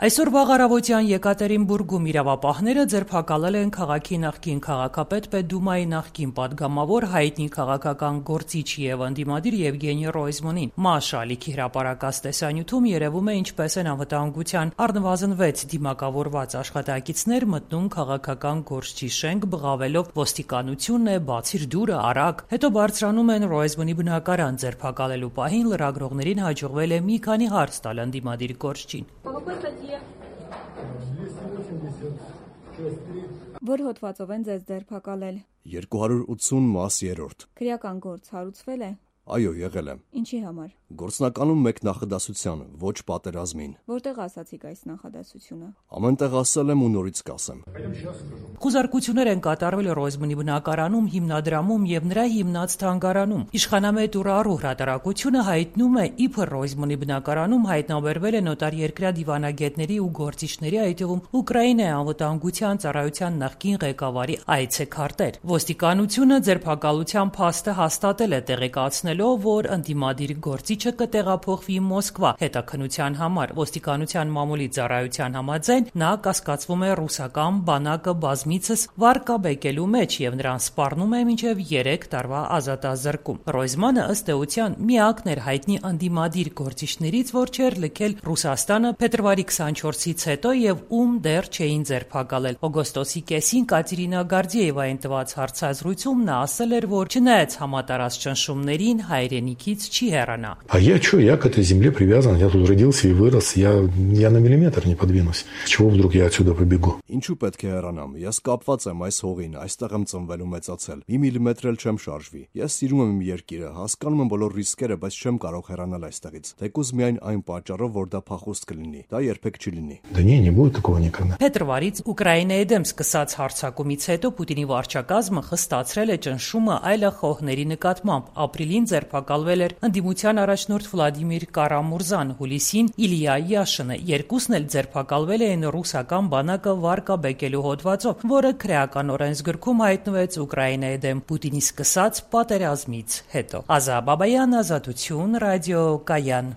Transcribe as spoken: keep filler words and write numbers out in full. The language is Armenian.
Այսօր վաղ առավոտյան Եկատերինբուրգում իրավապահները ձերբակալել են քաղաքի նախկին քաղաքապետ Պետդումայի նախկին պատգամավոր հայտնի քաղաքական գործիչ եւ ընդդիմադիր Եվգենի Ռոյզմանին։ ՄԱՇ ալիքի հրապարակած տեսանյութում երևում է ինչպես են անվտանգության առնվազն վեց դիմակավորված աշխատակիցներ մտնում քաղաքական գործչի շենք բղավելով ոստիկանությունն է, բացիր դուրը, արագ։ Հետո բարձրանում են Ռոյզմանի բնակարան, ձերբակալելու պահին լրագրողներին հաջողվել է մի քանի հարց տալ ընդդիմադիր գործչին։ Որ հոդվածով են ձեզ ձերբակալել։ երկու հարյուր ութսուն մաս երրորդ։ Քրեական գործ հարուցվել է։ Այո, եղել է։ Ինչի համար։ Գործնականում մեկ նախադասության, ոչ պատերազմին։ Որտեղ ասացիք այս նախադասությունը։ Ամենտեղ ասել եմ ու նորից կասեմ։ Խուզարկություններ են կատարվել Ռոյզմանի բնակարանում, հիմնադրամում եւ նրա հիմնած թանգարանում։ Իշխանամետ Ուրարու հրատարակությունը հայտնում է, իբր Ռոյզմանի բնակարանում հայտնաբերվել է նոտարերկրյա դիվանագետների ու գործիչների, այդ թվում Ուկրաինայի անվտանգության ծառայության նախկին ղեկավարի այցեքարտեր։ Ոստիկանությունը ձերբակալության փաստը հաստատել է, տեղեկացնելով, որ ընդդիմադիր գործիչը կտեղափոխվի Մոսկվա հետաքննության համար։ Ոստիկանության մամուլի ծառայության համաձայն նա կասկածվում է ռուսական բանակը բազմիցս վարկաբեկելու մեջ եւ նրան սպառնում է մինչեւ երեք տարվա ազատազրկում։ Ռոյզմանը ըստ էության միակն էր հայտնի ընդդիմադիր գործիչներից, որ չէր լքել Ռուսաստանը փետրվարի քսանչորսից հետո եւ ում դեռ չէին ձերբակալել։ Օգոստոսի կեսին Կատերինա Գարդիևային տված հարցազրույցում նա ասել էր, որ չնայած համատարած ճնշումներին հայրենիքից չի հեռանա։ А я что, я к этой земле привязан, я тут родился и вырос, я, я на миллиметр не подвинусь. С чего вдруг я отсюда побегу? Ինչու պետք է հեռանամ։ Ես կապված եմ այս հողին, այստեղ եմ ծնվել ու մեծացել։ Մի միլիմետր էլ չեմ շարժվի։ Ես սիրում եմ իմ երկիրը, հասկանում եմ բոլոր ռիսկերը, բայց չեմ կարող հեռանալ այստեղից։ Թեկուզ միայն այն պատճառով, որ դա փախուստ կլինի։ Դա երբեք չի լինի։ Да не, не будет такого никогда. Փետրվարից Ուկրաինայի դեմ սկսած հարձակումից հետո Պուտինի վարչակազմը խստացրել է ճնշումը այլախոհների նկատմամբ։ Ապրիլին ձերբակալվել էր ընդդիմության առաջնորդ Վլադիմիր Կարամուրզան, հուլիսին Իլիա Յաշինը։ Երկուսն էլ ձերբակալվել էին ռուսական բանակը վարկաբեկելու հոդվածով, որը քրեական օրենսգրքում հայտնվեց Ուկրաինայի դեմ Պուտինի սկսած պատերազմից հետո։ Ազա Բաբայան, Ազատություն, Ռադիո Կայան։